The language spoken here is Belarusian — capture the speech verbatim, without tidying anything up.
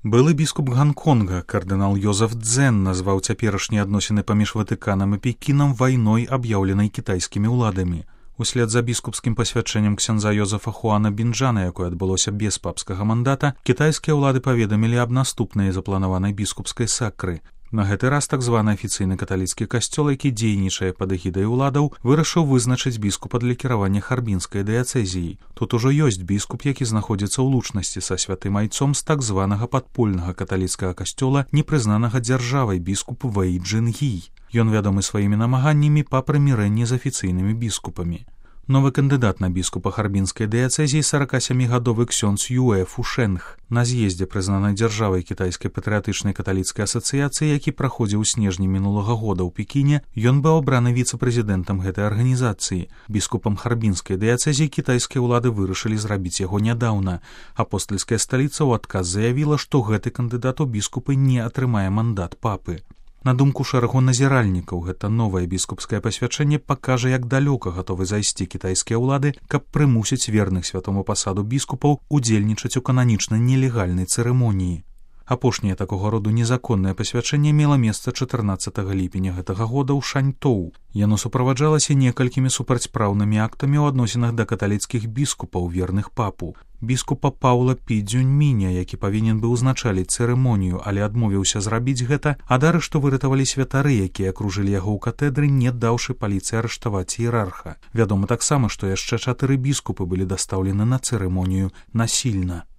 Былы біскуп Ганконга, кардынал Йозеф Цзэн, назваў цяперашнія адносіны паміж Ватыканам і Пекінам вайной, аб'яўленай кітайскімі ўладамі. Услед за біскупскім пасвячэннем ксяндза Йозефа Хуана Бінджана, якое адбылося без папскага мандата, кітайскія ўлады паведамілі аб наступнай запланаванай біскупскай сакры. На гэты раз так званы афіцыйны каталіцкі касцёл, які дзейнічае пад эгідай уладаў, вырашыў вызначыць біскупа для кіравання харбінскай дыяцэзіяй. Тут ужо ёсць біскуп, які знаходзіцца ў лучнасці са святым айцом з так званага падпольнага каталіцкага касцёла, непрызнанага дзяржавай, біскуп Вэй Чжэн-гі. Ён вядомы сваімі намаганнямі па прымірэнні з афіцыйнымі біскупамі. Новы кандыдат на біскупа харбінскай дыяцэзіі саракасямігадовы ксёндз Юэ Фушэнг. На з'ездзе прызнанай дзяржавай кітайскай патрыятычнай каталіцкай асацыяцыі, які праходзіў у снежні мінулага года ў Пекіне, ён быў абраны віцэ-прэзідэнтам гэтай арганізацыі. Біскупам харбінскай дыяцэзіі кітайскія ўлады вырашылі зрабіць яго нядаўна. Апостальская сталіца ў адказ заявіла, што гэты кандыдат у біскупы не атрымае мандат папы. На думку шэрагу назіральнікаў, гэта новае біскупскае пасвячэнне пакажа, як далёка гатовы зайсці кітайскія ўлады, каб прымусіць верных святому пасаду біскупаў удзельнічаць у кананічна нелегальнай цырымоніі. Апошняе такога роду незаконнае пасвячэнне мела месца чатырнаццатага ліпеня гэтага года ў Шаньтоу. Яно суправаджалася некалькімі супрацьпраўнымі актамі ў адносінах да каталіцкіх біскупаў, верных папу. Біскупа Паўла Пі Цзюньміня, які павінен быў узначаліць цырымонію, але адмовіўся зрабіць гэта, ад арышту выратавалі святары, якія акружылі яго ў катэдры, не даўшы паліцыі арыштаваць іерарха. Вядома таксама, што яшчэ чатыры біскупы былі дастаўлены на цырымонію насільна.